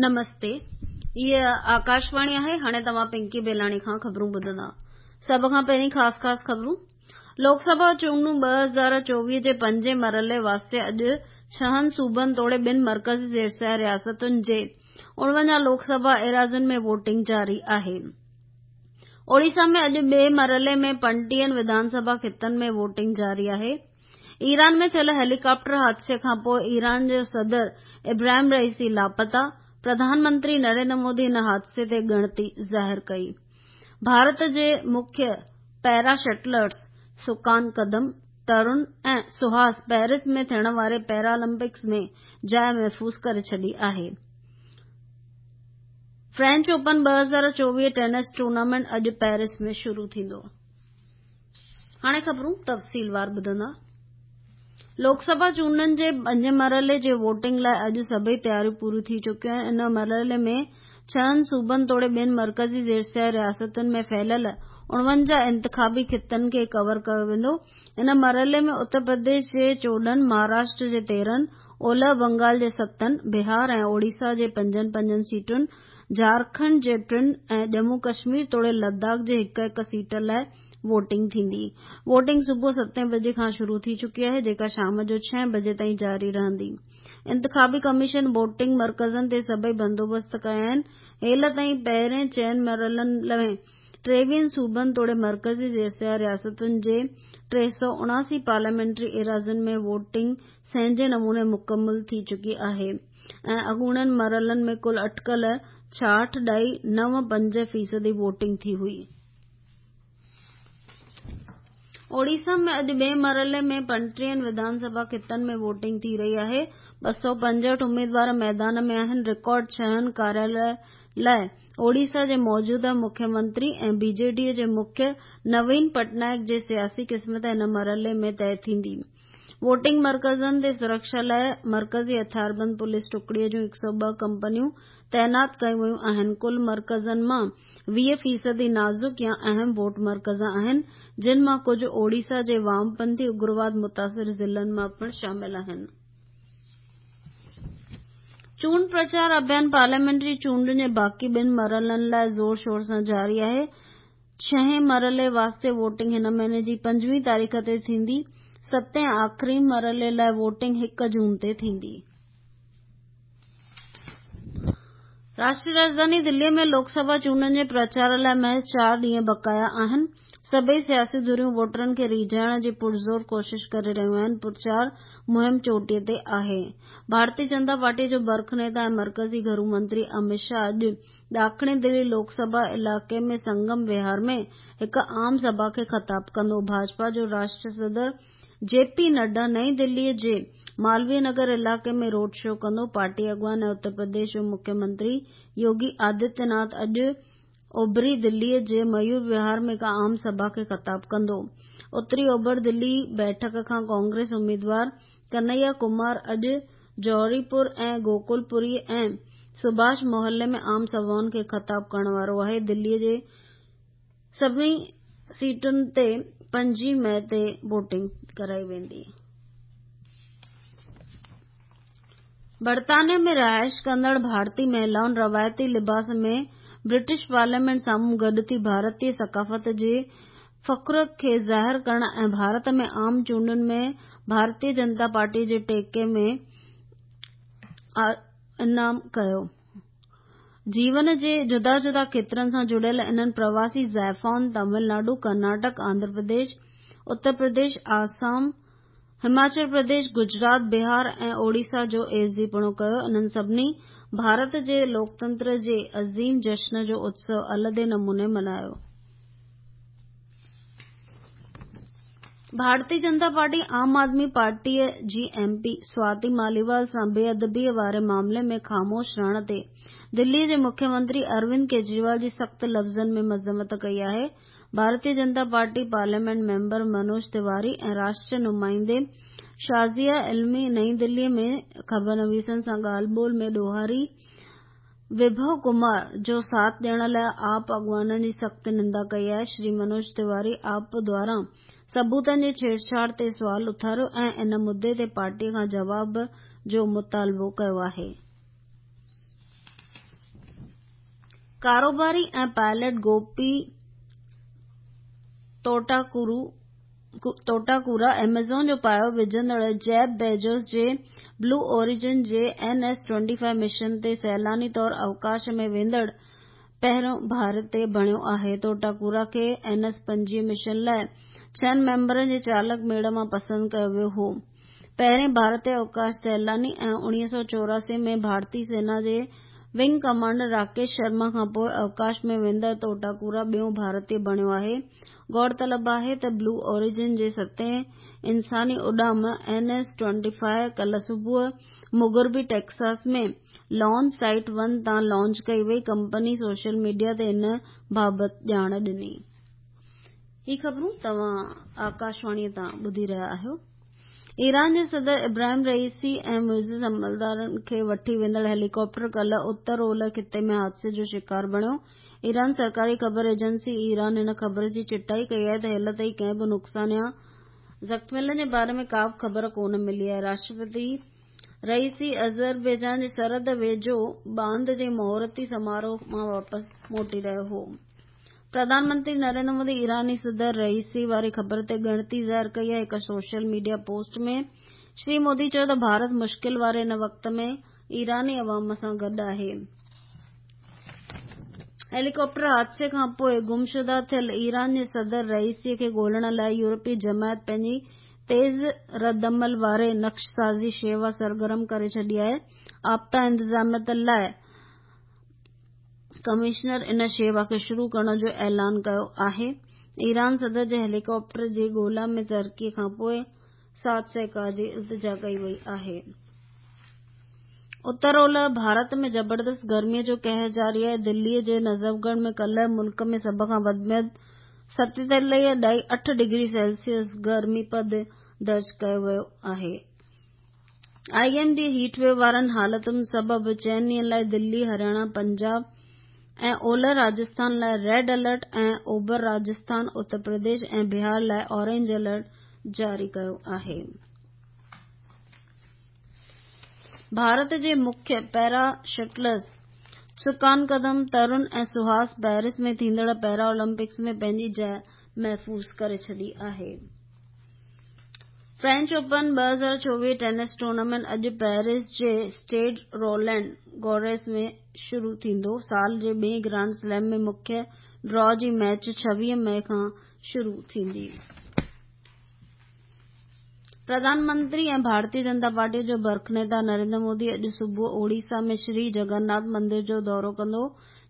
نمستي هيء آڪاشواڻي آهي هاڻي توهان پنڪي بيلاڻي کان خبرون ٻڌندا سڀ کان پهرين خاص خاص خبرون لوڪ سڀا چونڊون 2024 جي پنجين مرحلي واسطي اڄ ڇهن صوبن توڙي ٻن مرڪزي زيرسيٰ رياستن جي 49 لوڪ سڀا ايراضين ۾ ووٽنگ جاري آهي. اوڙيسا ۾ اڄ ٻئي مرحلي ۾ پنٽيهن وڌان سڀا خطن ۾ ووٽنگ جاري آهي. ايران ۾ ٿيل هيليڪاپٽر حادثي کانپوء ايران جو صدر ابراهيم رئيسي لاپتا، پرڌان منتري نريندر مودي هن حادثي تي ڳڻتي ظاهر ڪئي. ڀارت جي مکيه پيرا شٽلرز سڪان قدم، ترون ۽ سهاس پيرس ۾ ٿيڻ واري پيرالمپڪس ۾ جاء محفوظ ڪري ڇڏي آهي. فرينچ اوپن 2024 ٽينس ٽورنامينٽ اڄ پيرس ۾ شروع ٿيندو. هاڻي خبرون تفصيلوار ٻڌندا. لوڪ سڀا چونڊن جي پنجين مرحلي جي ووٽنگ لاء اڄ سڀئي تياريون پوريون ٿي چڪيون آهن. ان مرحلي ۾ ڇهن صوبن توڙي ٻن مرڪزي زيرسيٰ رياستن ۾ ڦهليل 49 انتخابي خطن کي ڪور ڪيو ويندو. ان مرحلي ۾ اتر پرديش جي 14، مهاراشٽر جي 13، اولهه بنگال جي ستن، بهار ۽ اوڙيسا جي پنجن پنجن سيٽن، جهارکنڊ جي ٽن ۽ ڄمون ڪشمير توڙي لداخ جي هڪ هڪ سيٽ لاء ووٽنگ ٿيندي. ووٽنگ صبح ستين بجي کان شروع ٿي چڪي آهي جيڪا شام جو ڇهين بجي تائين جاري رهندي. انتخابي ڪميشن ووٽنگ مرڪزن تي سڀئي بندوبست ڪيا آهن. هيل تائين پهرين چئن مرحلن ۾ ٽيويهن صوبن توڙي مرڪزي زيرسيٰ رياستن جي 379 پارليامينٽري ايراضين ۾ ووٽنگ سهنجي نموني مڪمل ٿي چڪي آهي ۽ اڳوڻن مرحلن ۾ ڪل اٽڪل ڇاهٺ ڏهائي نو پنج فيصدي ووٽنگ ٿي هئي. اوڙيسا ۾ اڄ ٻئي مرحلي ۾ پنٽيهن وڌان سڀا خطن ۾ ووٽنگ ٿي رهي آهي. 265 اميدوار ميدان ۾ آهن. رڪارڊ ڇهن ڪاريالن لاء اوڙيسا جي موجوده مکيه منتري ۽ بي جي ڊي جي مکيه نوين پٽنائڪ جي سياسي قسمت هن مرحلي ۾ طئي ٿيندي. ووٽنگ مرڪزن تي سرڪشا لاء مرڪزي هٿياربند پوليس ٽڪڙي جون 102 ڪمپنيون تعينات ڪيون ويون آهن. ڪل مرڪزن مان 20 فيصدي نازڪ يا اهم ووٽ مرڪز آهن، جن مان ڪجهه اوڙيسا جي وامپنٿي اگرواد متاثر ضلعن مان پڻ شامل آهن. چونڊ پرچار اڀيان پارليامينٽري چونڊن جي باقي ٻن مرحلن لاء زور شور سان جاري آهي. ڇهين مرحلي واسطي ووٽنگ هن مهيني جي پنجويهين تاريخ تي ٿيندي. ستين ۽ آخرين مرحلي لاء ووٽنگ هڪ جون تي ٿيندي. راشٽري راڄڌاني دلي ۾ لوڪ سڀا چونڊن جي پرچار لاء محض چار ڏينهن بقايا آهن. سڀئي سياسي ڌريون ووٽرن کي ريجهائڻ جي پرزور ڪوشش ڪري رهيون آهن. پرچار مهم چوٽيء تي آهي. ڀارتي جنتا پارٽي جو برک نيتا ۽ مرڪزي گهرو منتري اميت شاهه اڄ ڏاکڻي دلي لوڪ سڀا علائقي ۾ سنگم وهار ۾ هڪ عام سڀا کي خطاب ڪندو. ڀاجپا جو راشٽري صدر جي پي نڊا نئين دلي جي مالويه نگر علائقي ۾ روڊ شو ڪندو. پارٽي اڳواڻ ۽ اتر پرديش جو مکيه منتري يوگي آدتيه ناٿ اڄ اوڀري دلي جي ميور وهار ۾ هڪ عام سڀا کي خطاب ڪندو. اتري اوڀر دلي بيٺڪ کان ڪانگريس اميدوار ڪنهيا ڪمار اڄ جوهري پور ۽ گوڪل پوري ۽ سڀاش محلي ۾ عام سڀائن کي خطاب ڪرڻ وارو آهي. دلي جي سڀني سيٽن تي پنجين مئي تي ووٽنگ ڪرائي ويندي. برطانيه ۾ رهائش ڪندڙ ڀارتي مهلائن روايتي لباس ۾ برٽش پارليامينٽ سامهون گڏ ٿي ڀارتي ثقافت جي فخر کي ظاهر ڪرڻ ۽ ڀارت ۾ عام چونڊن ۾ ڀارتي جنتا پارٽي جي ٽيڪي ۾ انعام ڪيو. جيون جي جدا جدا کيترن سان جڙيل انهن پرواسي زائفائن تامل ناڊو، ڪرناٽڪ، آنڌرا پرديش، اتر پرديش، آسام، هماچل پرديش، گجرات، بهار ۽ اوڙيسا جو عيوضيپڻو ڪيو. انهن سڀني ڀارت جي لوڪتنتر جي عظيم جشن جو اتسو الڳ نموني ملهايو. ڀارتي جنتا پارٽي عام آدمي پارٽيء جي ايم پي سواتي ماليوال سان بي ادبيء واري معاملي ۾ خاموش رهڻ تي دليء جي مکيه منتري اروند ڪيجريوال جي سخت لفظن ۾ مذمت ڪئي آهي. Bharatiya Janata Party parliament member Manoj Tiwari ۽ راشٽريه نمائندي شازيه علمي نئين دليء ۾ خبرنويسن سان ڳالهه ٻولهه ۾ ڏوهاري وڀو ڪمار جو ساٿ ڏيڻ لاء آپ اڳواڻن جي سخت نندا ڪئي آهي. شري منوج تيواري آپ دواران ثبوتن جي ڇيڙڇاڙ تي سوال اٿاريو ۽ ان مدعي تي پارٽي کان جواب جو مطالبو ڪيو آهي. ڪاروباري ۽ پائلٽ گوپي توٽاڪورا ايميزون جو پايو وجهندڙ جيف بيزوس جي بلو اوريجن جي اين ايس 25 مشن تي سيلاني طور اوڪاش ۾ ويندڙ پهريون ڀارتي بڻيو آهي. توٽاڪورا کي اين ايس 25 مشن لاء ڇهن ميمبرن جي چالڪ ميڙ مان پسند ڪيو ويو هو. پهرين ڀارتي اوڪاش سيلاني ۽ 1984 ۾ ڀارتي سينا جي ونگ ڪمانڊر راڪيش شرما کانپوء اوڪاش ۾ ويندڙ توٽاڪورا ٻيون ڀارتي بڻيو آهي. غور طلب آهي ته بلو اوريجن جي ستين انساني اڏام اين ايس 25 ڪلهه صبح مغربي ٽيڪساس ۾ لانچ سائيٽ ون تان لانچ ڪئي وئي. ڪمپني سوشل ميڊيا تي ان بابت ڄاڻ ڏني. هي خبرون توهان آڪاشواڻي تان ٻڌي رهيا آهيو. ايران جي صدر ابراهيم رئيسي ۽ معزز عملدارن کي وٺي ويندڙ هيليڪاپٽر ڪلهه اتر اولهه خطي ۾ حادثي جو شڪار بڻيو. ايران سرڪاري خبر ايجنسي ايران هن خبر جي چٽائي ڪئي آهي ته هيل تائين ڪنهن به نقصان يا زخميلن جي باري ۾ ڪابه خبر ڪونه ملي آهي. راشٽرپتي رئيسي آذربائيجان جي سرحد ويجهو باند جي مهورتي سماروهه مان واپس موٽي رهيو هو. پرڌان منتري نريندر مودي ايراني صدر رئيسي واري خبر تي ڳڻتي ظاهر ڪئي آهي. هڪ social media post ۾ Shri Modi چيو ته ڀارت مشڪل واري هن وقت ۾ ايراني عوام سان گڏ آهي. هيليڪاپٽر حادثي کانپوء گمشده ٿيل ايران جي صدر رئيسي کي ڳولڻ لاء يورپي جماعت پنهنجي تيز ردعمل واري نقشسازي شيوا سرگرم ڪري ڇڏي آهي. آپدا انتظاميت لاء ڪمشنر ان شيوا کي شروع ڪرڻ جو اعلان ڪيو آهي. ايران صدر جي هيليڪاپٽر جي ڳولا ۾ ترقي کانپوء ساٿ سهڪار جي التجا ڪئي وئي آهي. اتر اولهه ڀارت ۾ زبردست گرمي جو قهر جاري آهي. دلي جي نجفڳڙهه ۾ ڪلهه ملڪ ۾ سڀ کان وڌ ۾ وڌ 47.8 ڊگري سيلسيس گرمي پد درج ڪيو ويو آهي. I M D heat wave وارن حالتن سبب چئن ڏينهن لاء دلي، هرياڻا، پنجاب ۽ اولهه راجسٿان لاء ريڊ الرٽ ۽ اوڀر راجسٿان، اتر پرديش ۽ بهار لاء اورينج الرٽ جاري ڪيو آهي. ڀارت جي مکيه پيرا شٽلرز سڪان قدم، ترون ۽ سهاس پيرس ۾ ٿيندڙ پيرا اولمپڪس ۾ پنهنجي جاء محفوظ ڪري ڇڏي آهي. فرينچ اوپن 2024 ٽينس ٽورنامينٽ اڄ پيرس جي اسٽيڊ رولينڊ گوريس ۾ شروع ٿيندو. سال جي ٻئين گرانڊ سليم ۾ مکيه ڊرا جي ميچ 26 مئي کان شروع ٿيندي. پرڌان منتري ۽ ڀارتي جنتا پارٽي جو برک نيتا نريندر مودي اڄ صبح اوڙيسا ۾ شري جگن ناٿ مندر جو دورو ڪندو.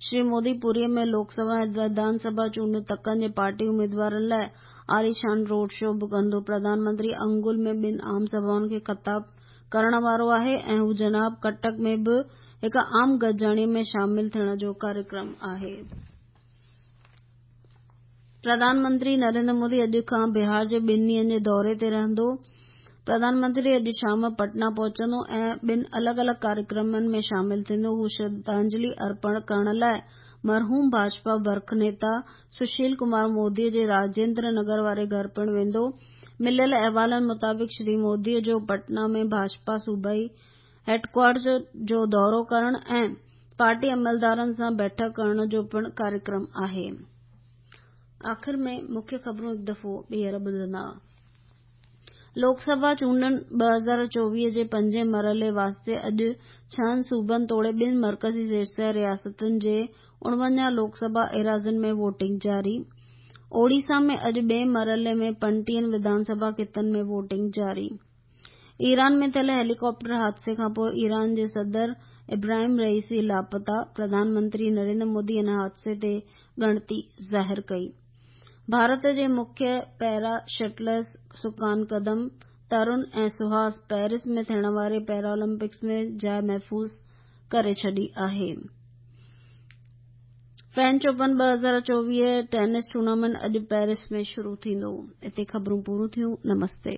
شري مودي پوري ۾ لوڪ سڀا ۽ وڌان سڀا چونڊ تڪن جي پارٽي اميدوارن لاء عاليشان روڊ شو به ڪندو. پرڌان منتري انگل ۾ ٻن عام سڀائن کي خطاب ڪرڻ وارو آهي ۽ هو جناب ڪٽڪ ۾ به هڪ عام گڏجاڻي ۾ شامل ٿيڻ جو ڪاريڪرم آهي. پرڌان منتري نريندر مودي اڄ کان بهار جي ٻن ڏينهن جي دوري تي رهندو. پرڌان منتري اڄ شام پٽنا پهچندو ۽ ٻن الڳ الڳ ڪاريڪرمن ۾ شامل ٿيندو. هو شرڌانجلي ارپڻ ڪرڻ لاء مرحوم ڀاجپا برک نيتا سشيل ڪمار مودي جي راجيندر نگر واري گهر پڻ ويندو. مليل احوالن مطابق شري مودي جو پٽنا ۾ ڀاجپا صوبائي هيڊڪوارٽر جو دورو ڪرڻ ۽ پارٽي عملدارن سان بيٺڪ ڪرڻ جو پڻ ڪاريڪرم آهي. آخر ۾ مکيه خبرون هڪ دفعو ٻيهر ٻڌندا. لوڪ سڀا چونڊن 2024 جي پنجين مرحلي واسطي اڄ ڇهن صوبن توڙي ٻن مرڪزي زيرسير رياستن جي 49 لوڪ سڀا ايراضين ۾ ووٽنگ جاري. اوڙيسا ۾ اڄ ٻئين مرحلي ۾ 35 وڌان سڀا خطن ۾ ووٽنگ جاري. ايران ۾ ٿيل هيليڪاپٽر حادثي کانپوء ايران جي صدر ابراهيم رئيسي لاپتا، پرڌان منتري نريندر مودي ان حادثي تي ڳڻتي ظاهر ڪئي. ڀارت جي مکيه پيرا شٽلرز سڪان قدم، ترون ۽ سهاس پيرس ۾ ٿيڻ واري پيرا اولمپڪس ۾ جاء محفوظ ڪري ڇڏي آهي. فرينچ اوپن 2024 ٽينس ٽورنامينٽ اڄ پيرس ۾ شروع ٿيندو. اتي خبرون پوريون ٿيون. نمستي.